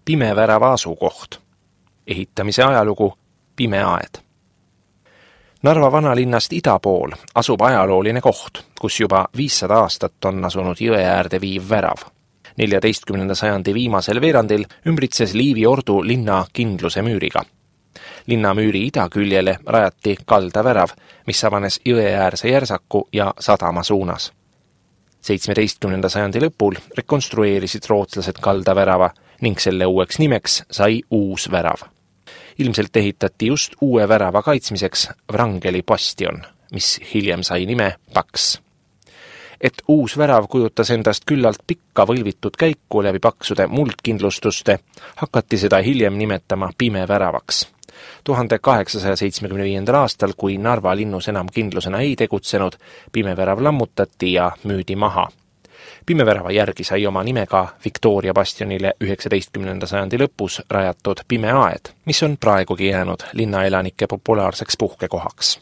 Pime värava asukoht. Ehitamise ajalugu Pime aed. Narva vanalinnast ida pool asub ajalooline koht, kus juba 500 aastat on asunud jõe äärde viiv värav. 14. sajandi viimasel veerandil ümbritses Liivi ordu linna kindluse müüriga. Linnamüüri idaküljele rajati kaldavärav, mis avanes jõeäärse järsaku ja sadama suunas. 17. sajandi lõpul rekonstrueerisid rootslased kaldavärava ning selle uueks nimeks sai uus värav. Ilmselt ehitati just uue värava kaitsmiseks Wrangeli bastion, mis hiljem sai nime Paks. Et uus värav kujutas endast küllalt pikka võlvitud käiku läbi paksude muldkindlustuste, hakati seda hiljem nimetama Pime väravaks. 1875. aastal, kui Narva linnus enam kindlusena ei tegutsenud, Pime värav lammutati ja müüdi maha. Pime värava järgi sai oma nime ka Victoria bastionile 19. sajandi lõpus rajatud Pime aed, mis on praegugi jäänud linnaelanike populaarseks puhkekohaks.